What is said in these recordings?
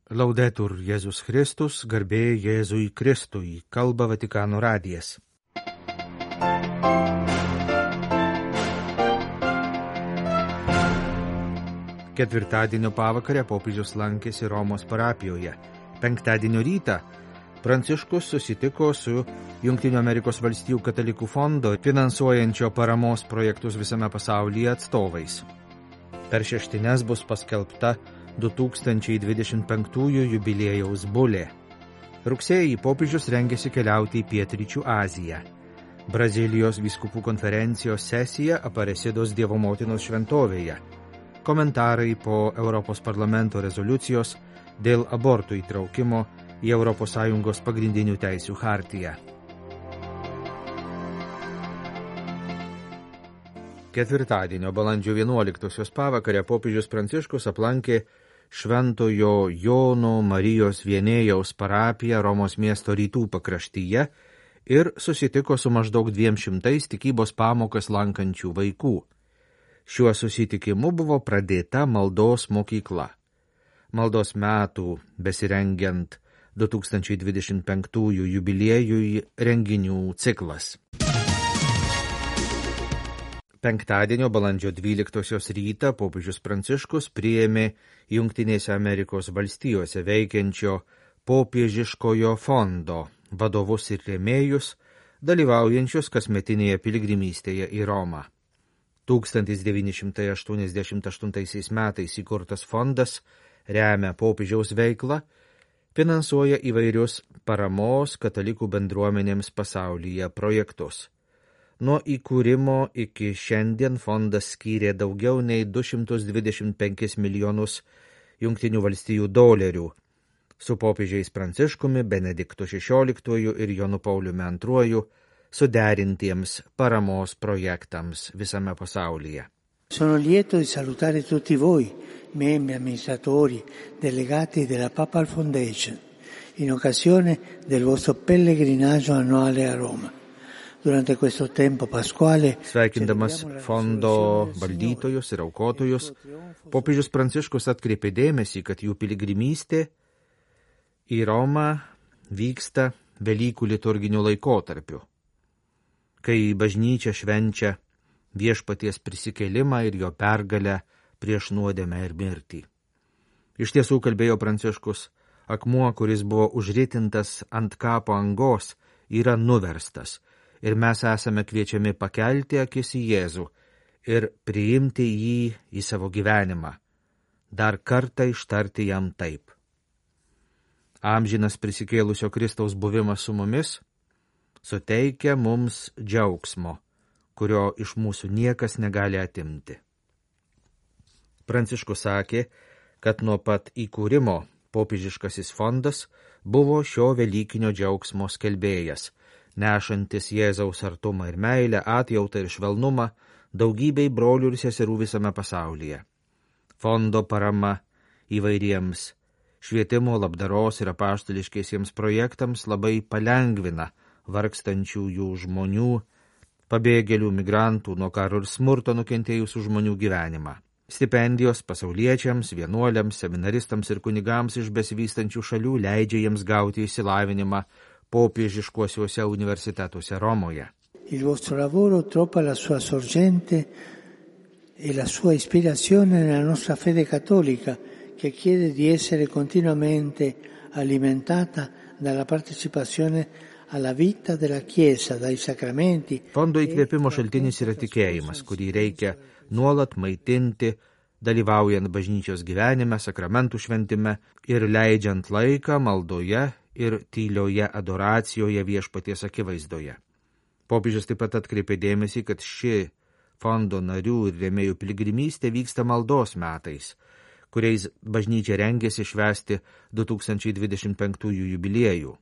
Laudetur Jėzus Kristus, garbė Jėzui Kristui, kalba Vatikano radijas. Ketvirtadienio pavakarę popiežius lankėsi Romos parapijoje. Penktadienio rytą Pranciškus susitiko su Jungtinių Amerikos valstijų katalikų fondo finansuojančio paramos projektus visame pasaulyje atstovais. Per šeštines bus paskelbta 2025 jubiliejaus bulė. Rugsėjį popiežius rengėsi keliauti į Pietryčių Aziją. Brazilijos vyskupų konferencijos sesija Aparecidos Dievo motinos šventovėje. Komentarai po Europos parlamento rezoliucijos dėl abortų įtraukimo į ES pagrindinių teisių chartiją. Ketvirtadienio balandžio 11 pavakarę popiežius Pranciškus aplankė Šventojo Jono Marijos Vienėjaus parapiją Romos miesto rytų pakraštyje ir susitiko su maždaug 200 tikybos pamokas lankančių vaikų. Šiuo susitikimu buvo pradėta maldos mokykla. Maldos metų besirengiant 2025 jubiliejui renginių ciklas. Penktadienio balandžio 12 rytą popiežius Pranciškus priėmė Jungtinėse Amerikos valstijose veikiančio popiežiškojo fondo vadovus ir rėmėjus, dalyvaujančius kasmetinėje piligrimystėje į Romą. 1988 metais įkurtas fondas remia popiežiaus veiklą, finansuoja įvairius paramos katalikų bendruomenėms pasaulyje projektus. Nuo įkūrimo iki šiandien fondas skyrė daugiau nei 225 milijonus Jungtinių valstijų dolerių su popiežiais Pranciškumi, Benediktu XVI ir Jonu Pauliumi II suderintiems paramos projektams visame pasaulyje. Sono lieto di salutare tutti voi, membri, amministratori, delegati della Papal Foundation, in occasione del vostro pellegrinaggio annuale a Roma. Durante questo tempo pasquale, sveikindamas fondo valdytojus ir aukotojus, popiežius Pranciškus atkreipė dėmesį, kad jų piligrimystė į Romą vyksta Velykų liturginiu laikotarpiu, kai bažnyčia švenčia viešpaties prisikėlimą ir jo pergalę prieš nuodėmę ir mirtį. Iš tiesų, kalbėjo Pranciškus, akmuo, kuris buvo užritintas ant kapo angos, yra nuverstas ir mes esame kviečiami pakelti akis į Jėzų ir priimti jį į savo gyvenimą, dar kartą ištarti jam taip. Amžinas prisikėlusio Kristaus buvimas su mumis suteikia mums džiaugsmo, kurio iš mūsų niekas negali atimti. Pranciškus sakė, kad nuo pat įkūrimo popiežiškasis fondas buvo šio velykinio džiaugsmo skelbėjas, nešantis Jėzaus artumą ir meilę, atjautą ir švelnumą daugybei brolių ir seserų visame pasaulyje. Fondo parama įvairiems švietimo, labdaros ir apaštališkiesiems projektams labai palengvina vargstančiųjų žmonių, pabėgėlių, migrantų, nuo karo ir smurto nukentėjusių žmonių gyvenimą. Stipendijos pasauliečiams, vienuoliams, seminaristams ir kunigams iš besivystančių šalių leidžia jiems gauti išsilavinimą popiežiškuosiuose universitetuose Romoje. Il vostro lavoro trova la sua sorgente e la sua ispirazione nella nostra fede cattolica, che chiede di essere continuamente alimentata dalla partecipazione alla vita della Chiesa, dai sacramenti. Fondo įkvėpimo šaltinis yra tikėjimas, kurį reikia nuolat maitinti, dalyvaujant bažnyčios gyvenime, sakramentų šventime ir leidžiant laiką maldoje ir tylioje adoracijoje viešpaties akivaizdoje. Popiežius taip pat atkreipė dėmesį, kad ši fondo narių ir rėmėjų piligrimystė vyksta maldos metais, kuriais bažnyčia rengėsi švęsti 2025 jubiliejų.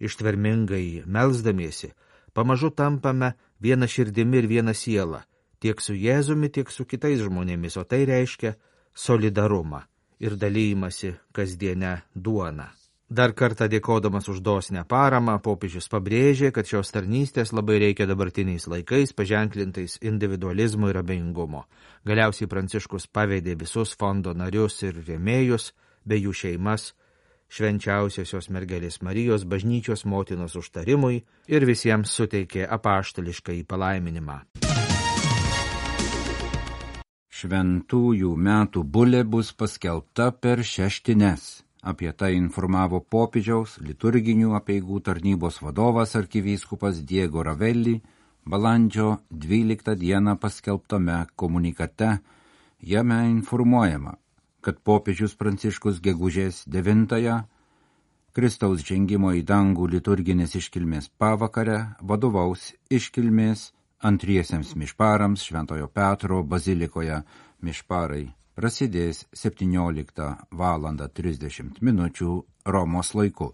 Ištvermingai melsdamiesi, pamažu tampame viena širdimi ir viena siela, tiek su Jėzumi, tiek su kitais žmonėmis, o tai reiškia solidarumą ir dalymasi kasdienę duoną. Dar kartą dėkodamas už dosnę paramą, popiežius pabrėžė, kad šios tarnystės labai reikia dabartiniais laikais, paženklintais individualizmo ir abejingumo. Galiausiai Pranciškus pavedė visus fondo narius ir rėmėjus bei jų šeimas, švenčiausiosios mergelės Marijos bažnyčios motinos užtarimui ir visiems suteikė apaštališką palaiminimą. Šventųjų metų bulė bus paskelbta per šeštines. Apie tai informavo popiežiaus liturginių apeigų tarnybos vadovas arkivyskupas Diego Ravelli balandžio 12 dieną paskelbtame komunikate. Jame informuojama, kad popiežius Pranciškus gegužės 9-ąją Kristaus žengimo į dangų liturginės iškilmės pavakarę vadovaus iškilmės antriesiems mišparams Šventojo Petro bazilikoje. Mišparai prasidės 17:30 Romos laiku.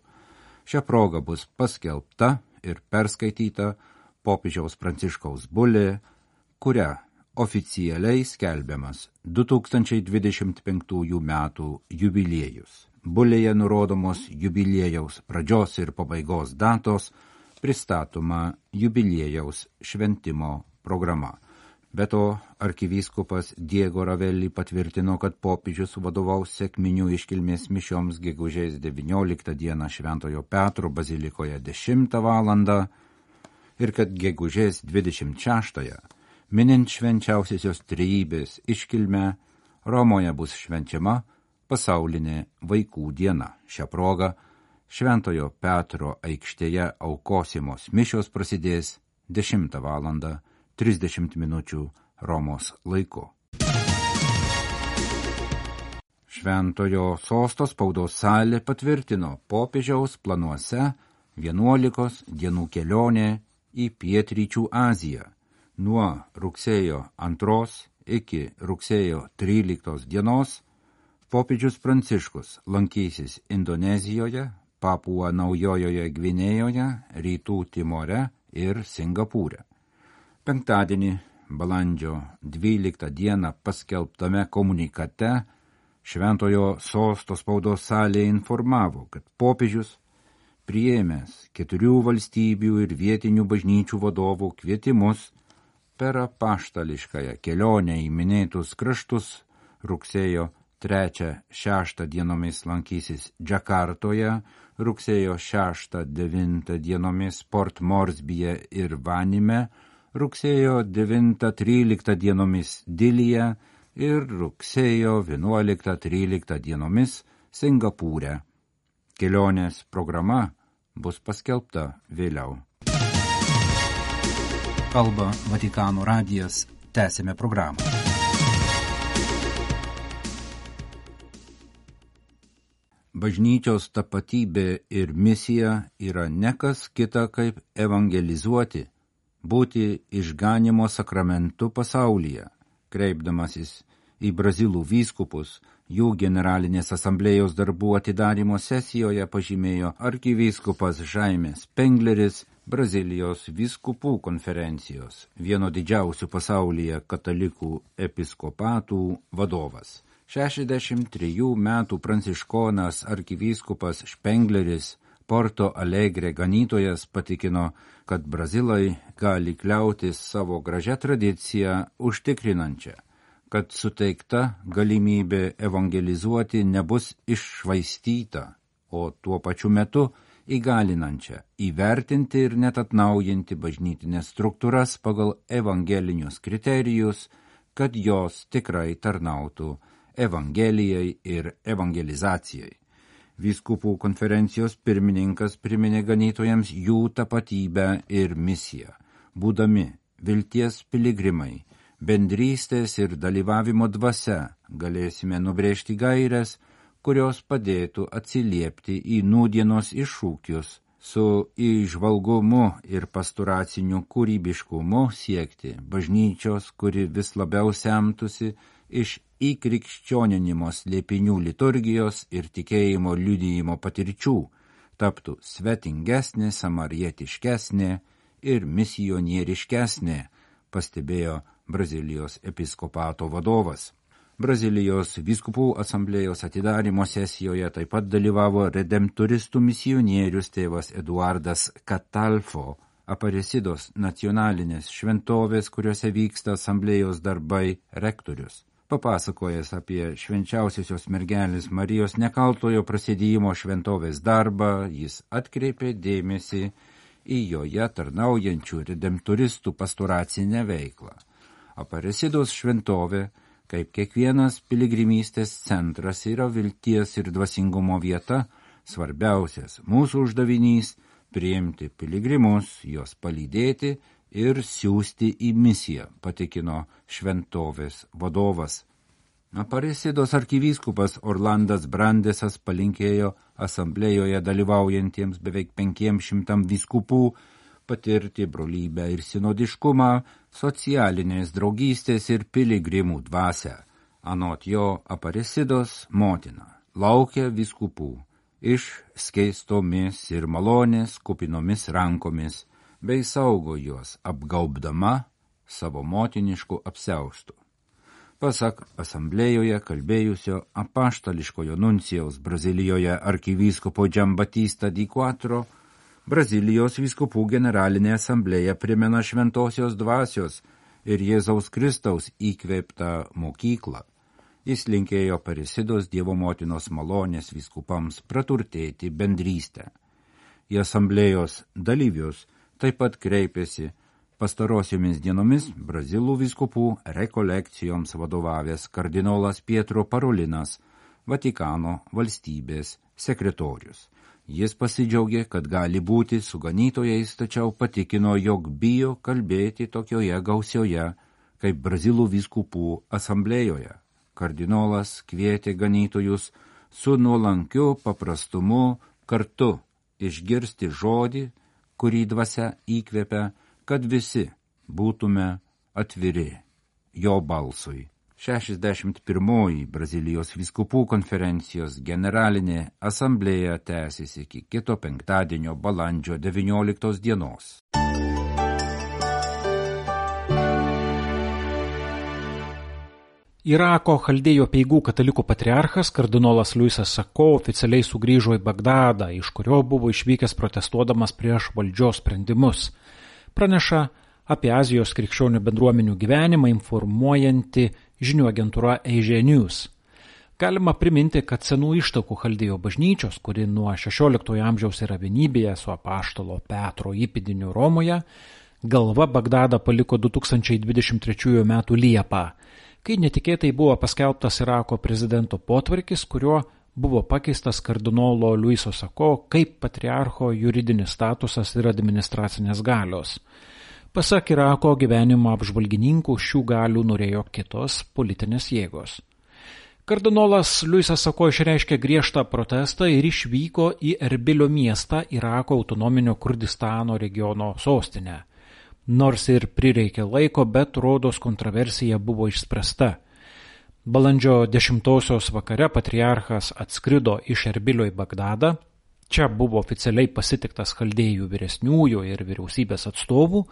Šią progą bus paskelbta ir perskaityta popiežiaus Pranciškaus bulė, kuria oficialiai skelbiamas 2025 metų jubiliejus. Bulėje nurodomos jubiliejaus pradžios ir pabaigos datos, pristatoma jubiliejaus šventimo programa. Be to, arkivyskupas Diego Ravelli patvirtino, kad popiežius vadovaus sekminių iškilmės mišioms gegužės 19 dieną Šventojo Petro bazilikoje 10 valandą ir kad gegužės 26-ąją, minint švenčiausiosios trejybės iškilmę, Romoje bus švenčiama pasaulinė vaikų diena. Šią progą Šventojo Petro aikštėje aukosimos mišios prasidės 10 valandą 30 minučių Romos laiku. Šventojo sosto spaudos salė patvirtino popiežiaus planuose 11 dienų kelionė į Pietryčių Aziją. Nuo rugsėjo 2 iki rugsėjo 13 dienos popiežius Pranciškus lankysis Indonezijoje, Papua Naujojoje Gvinėjoje, Rytų Timore ir Singapūre. Penktadienį, balandžio 12 dieną paskelbtame komunikate Šventojo sosto spaudos salė informavo, kad popiežius priėmęs 4 valstybių ir vietinių bažnyčių vadovų kvietimus per apaštališkąją kelionę į minėtus kraštus rugsėjo 3-6 dienomis lankysis Džakartoje, rugsėjo 6-9 dienomis Port Moresbyje ir Vanime, rugsėjo 9-13 dienomis Dilyje ir rugsėjo 11-13 dienomis Singapūre. Kelionės programa bus paskelbta vėliau. Kalba Vatikano radijas, tęsime programą. Bažnyčios tapatybė ir misija yra nekas kita kaip evangelizuoti, būti išganymo sakramentu pasaulyje. Kreipdamasis į brazilų vyskupus, jų generalinės asamblėjos darbų atidarymo sesijoje pažymėjo arkivyskupas Žaimes Pengleris, Brazilijos vyskupų konferencijos, vieno didžiausių pasaulyje katalikų episkopatų vadovas. 63 metų pranciškonas arkivyskupas Špengleris, Porto Alegre ganytojas, patikino, kad brazilai gali kliautis savo gražią tradiciją užtikrinančią, kad suteikta galimybė evangelizuoti nebus iššvaistyta, o tuo pačiu metu įgalinančią įvertinti ir net atnaujinti bažnytinės struktūras pagal evangelinius kriterijus, kad jos tikrai tarnautų evangelijai ir evangelizacijai. Vyskupų konferencijos pirmininkas priminė ganytojams jų tapatybę ir misiją. Būdami vilties piligrimai, bendrystės ir dalyvavimo dvasia galėsime nubrėžti gaires, kurios padėtų atsiliepti į nūdienos iššūkius, su įžvalgumu ir pastoraciniu kūrybiškumu siekti bažnyčios, kuri vis labiau semtųsi iš įkrikščioninimo slėpinių liturgijos ir tikėjimo liudijimo patirčių, taptų svetingesnė, samarietiškesnė ir misionieriškesnė, pastebėjo Brazilijos episkopato vadovas. Brazilijos vyskupų asamblėjos atidarymo sesijoje taip pat dalyvavo redemptoristų misionierius tėvas Eduardas Catalfo, Aparecidos nacionalinės šventovės, kuriuose vyksta asamblėjos darbai, rektorius. papasakojęs apie švenčiausiosios mergelės Marijos nekaltojo prasidėjimo šventovės darbą, jis atkreipė dėmesį į joje tarnaujančių redemptoristų pastoracinę veiklą. Aparecidos šventovė, kaip kiekvienas piligrimystės centras, yra vilties ir dvasingumo vieta, svarbiausias mūsų uždavinys – priimti piligrimus, juos palydėti ir siųsti į misiją, patikino šventovės vadovas. Aparecidos arkivyskupas Orlandas Brandesas palinkėjo asamblėjoje dalyvaujantiems beveik 500 vyskupų patirti brolybę ir sinodiškumą, socialinės draugystės ir piligrimų dvasią. Anot jo, Aparecidos motina laukia vyskupų išskeistomis ir malonės kupinomis rankomis, bei saugo juos apgaubdama savo motiniškų apsiaustų. Pasak asamblėjoje kalbėjusio apaštališkojo nuncijaus Brazilijoje arkivyskupo Giambattista di Quattro, Brazilijos vyskupų generalinė asamblėja primena šventosios dvasios ir Jėzaus Kristaus įkvėptą mokyklą. Jis linkėjo Aparecidos Dievo motinos malonės vyskupams praturtėti bendrystę. Į asamblėjos dalyvius taip pat kreipėsi pastarosiomis dienomis Brazilų vyskupų rekolekcijoms vadovavęs kardinolas Pietro Parolinas, Vatikano valstybės sekretorius. Jis pasidžiaugė, kad gali būti su ganytojais, tačiau patikino, jog bijo kalbėti tokioje gausioje kaip Brazilų vyskupų asamblėjoje. Kardinolas kvietė ganytojus su nuolankiu paprastumu kartu išgirsti žodį, kurį dvasia įkvepia, kad visi būtume atviri jo balsui. 61 Brazilijos vyskupų konferencijos generalinė asamblėja tęsis iki kito penktadienio balandžio 19 dienos. Irako chaldėjų apeigų katalikų patriarchas kardinolas Luisas Sako oficialiai sugrįžo į Bagdadą, iš kurio buvo išvykęs protestuodamas prieš valdžios sprendimus. Praneša apie Azijos krikščionių bendruomenių gyvenimą informuojanti žinių agentūra Asia News. Galima priminti, kad senų ištakų chaldėjų bažnyčios, kuri nuo 16 amžiaus yra vienybėje su apaštalo Petro įpėdiniu Romoje, galva Bagdadą paliko 2023 m. Liepą, kai netikėtai buvo paskelbtas Irako prezidento potvarkis, kuriuo buvo pakeistas kardinolo Luiso Sako kaip patriarcho juridinis statusas ir administracinės galios. Pasak Irako gyvenimo apžvalgininkų, šių galių norėjo kitos politinės jėgos. Kardinolas Luisas Sako išreiškė griežtą protestą ir išvyko į Erbilio miestą, Irako autonominio Kurdistano regiono sostinę. Nors ir prireikė laiko, bet rodos kontroversija buvo išspręsta. Balandžio 10 vakare patriarchas atskrido iš Erbilio į Bagdadą. Čia buvo oficialiai pasitiktas chaldėjų vyresniųjų ir vyriausybės atstovų,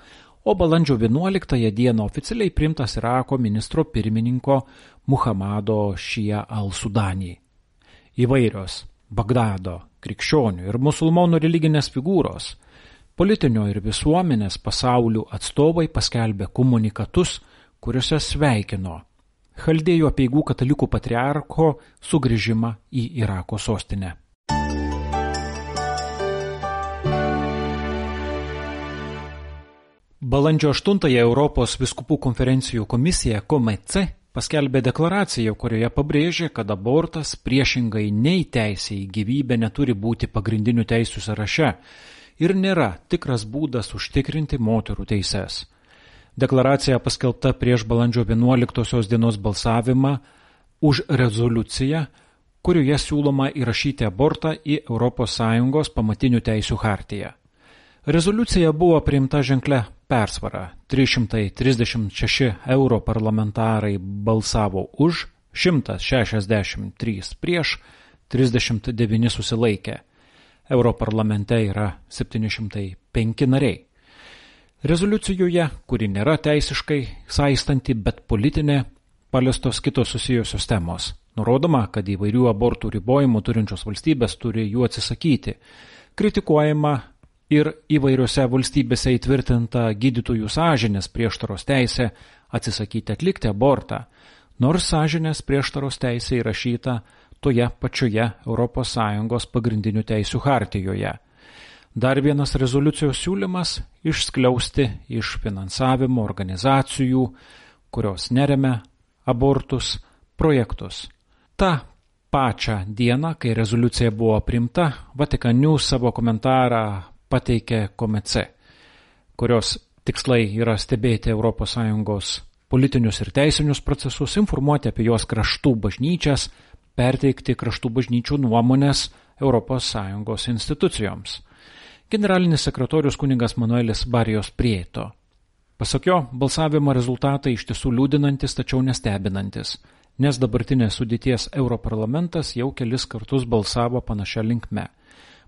o balandžio 11 dieną oficialiai priimtas Irako ministro pirmininko Muhamado Šia al-Sudani. Įvairios Bagdado krikščionių ir musulmonų religinės figūros, politinio ir visuomenės pasaulių atstovai paskelbė komunikatus, kuriuose sveikino chaldėjų apeigų katalikų patriarcho sugrįžimą į Irako sostinę. Balandžio 8 Europos vyskupų konferencijų komisija KOMECE paskelbė deklaraciją, kurioje pabrėžė, kad abortas priešingai nei teisė į gyvybę neturi būti pagrindinių teisių sąraše ir nėra tikras būdas užtikrinti moterų teises. Deklaracija paskelbta prieš balandžio 11 dienos balsavimą už rezoliuciją, kurioje siūloma įrašyti abortą į ES pamatinių teisių chartiją. Rezoliucija buvo priimta ženklia persvara. 336 europarlamentarai balsavo už, 163 prieš, 39 susilaikė. Europarlamente yra 705 nariai. Rezoliucijoje, kuri nėra teisiškai saistanti, bet politinė, paliestos kitos susijusios temos. Nurodoma, kad įvairių abortų ribojimų turinčios valstybės turi jų atsisakyti. Kritikuojama ir įvairiose valstybėse įtvirtinta gydytojų sąžinės prieštaros teisė atsisakyti atlikti abortą. nors sąžinės prieštaros teisė įrašyta toje pačioje ES pagrindinių teisių hartijoje. Dar vienas rezoliucijos siūlymas – išskliausti iš finansavimo organizacijų, kurios neremia abortus, projektus. Ta pačią dieną, kai rezoliucija buvo priimta, Vatican News savo komentarą pateikė Comece, kurios tikslai yra stebėti ES politinius ir teisinius procesus, informuoti apie jos kraštų bažnyčias, perteikti kraštų bažnyčių nuomonės ES institucijoms. Generalinis sekretorius kunigas Manuelis Barijos Prieto. Pasak jo, balsavimo rezultatai iš tiesų liūdinantis, tačiau nestebinantis, nes dabartinės sudėties Europarlamentas jau kelis kartus balsavo panašia linkme.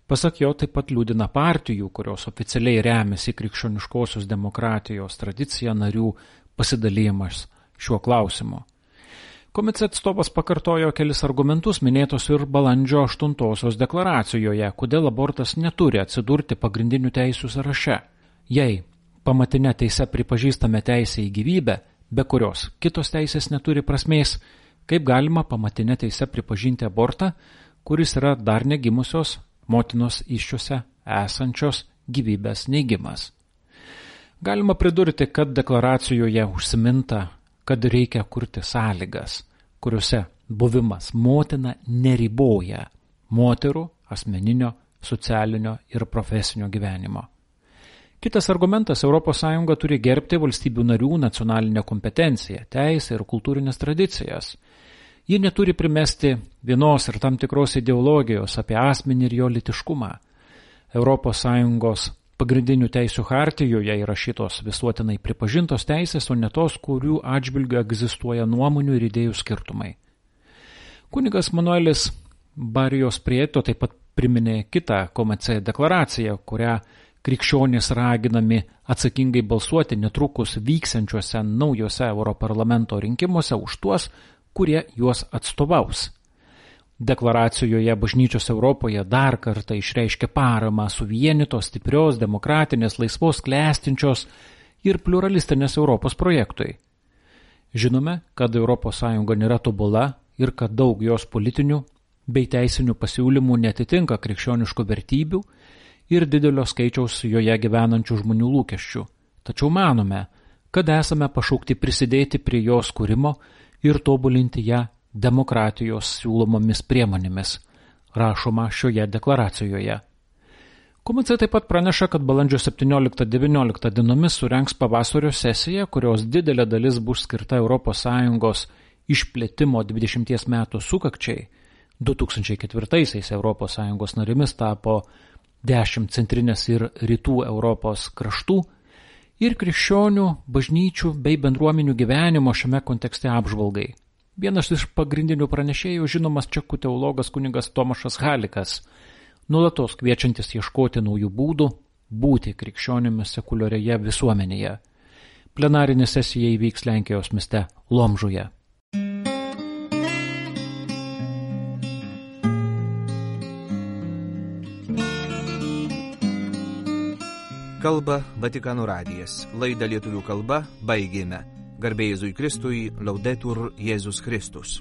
Pasak jo, taip pat liūdina partijų, kurios oficialiai remiasi krikščioniškosios demokratijos tradicija narių pasidalymas šiuo klausimu. Comece atstovas pakartojo kelis argumentus minėtos ir balandžio 8 deklaracijoje, kodėl abortas neturi atsidurti pagrindinių teisių sąraše. Jei pamatinė teise pripažįstame teisę į gyvybę, be kurios kitos teisės neturi prasmės, kaip galima pamatinė teise pripažinti abortą, kuris yra dar negimusios motinos įsčiose esančios gyvybės neigimas. Galima pridurti, kad deklaracijoje užsiminta, kad reikia kurti sąlygas, kuriuose buvimas motina neriboja moterų asmeninio, socialinio ir profesinio gyvenimo. Kitas argumentas – ES turi gerbti valstybių narių nacionalinę kompetenciją, teisę ir kultūrinės tradicijas. Ji neturi primesti vienos ir tam tikros ideologijos apie asmenį ir jo lytiškumą. ES pagrindinių teisių hartijoje įrašytos visuotinai pripažintos teisės, o ne tos, kurių atžvilgiu egzistuoja nuomonių ir idėjų skirtumai. Kunigas Manuelis Barijos Prieto taip pat priminė kitą Comece deklaraciją, kurią krikščionys raginami atsakingai balsuoti netrukus vyksiančiuose naujose Europarlamento rinkimuose už tuos, kurie juos atstovaus. Deklaracijoje bažnyčios Europoje dar kartą išreiškia paramą suvienytos, stiprios, demokratinės, laisvos, klestinčios ir pluralistinės Europos projektui. Žinome, kad ES nėra tobula ir kad daug jos politinių bei teisinių pasiūlymų netitinka krikščioniškų vertybių ir didelio skaičiaus joje gyvenančių žmonių lūkesčių. Tačiau manome, kad esame pašaukti prisidėti prie jos kūrimo ir tobulinti ją demokratijos siūlomomis priemonėmis, rašoma šioje deklaracijoje. Comece taip pat praneša, kad balandžio 17-19 dienomis surengs pavasario sesiją, kurios didelė dalis bus skirta ES išplėtimo 20 metų sukakčiai. 2004-aisiais ES narimis tapo 10 centrinės ir rytų Europos kraštų ir krikščionių, bažnyčių bei bendruomenių gyvenimo šiame kontekste apžvalgai. Vienas iš pagrindinių pranešėjų žinomas čekų teologas kunigas Tomašas Halikas, nuolatos kviečiantis ieškoti naujų būdų būti krikščionimis sekuliarioje visuomenėje. Plenarinė sesija įvyks Lenkijos mieste Lomžuje. Kalba Vatikano radijas. Laidą lietuvių kalba baigėme. Garbė Jėzui Kristui, Laudetur Jėzus Kristus.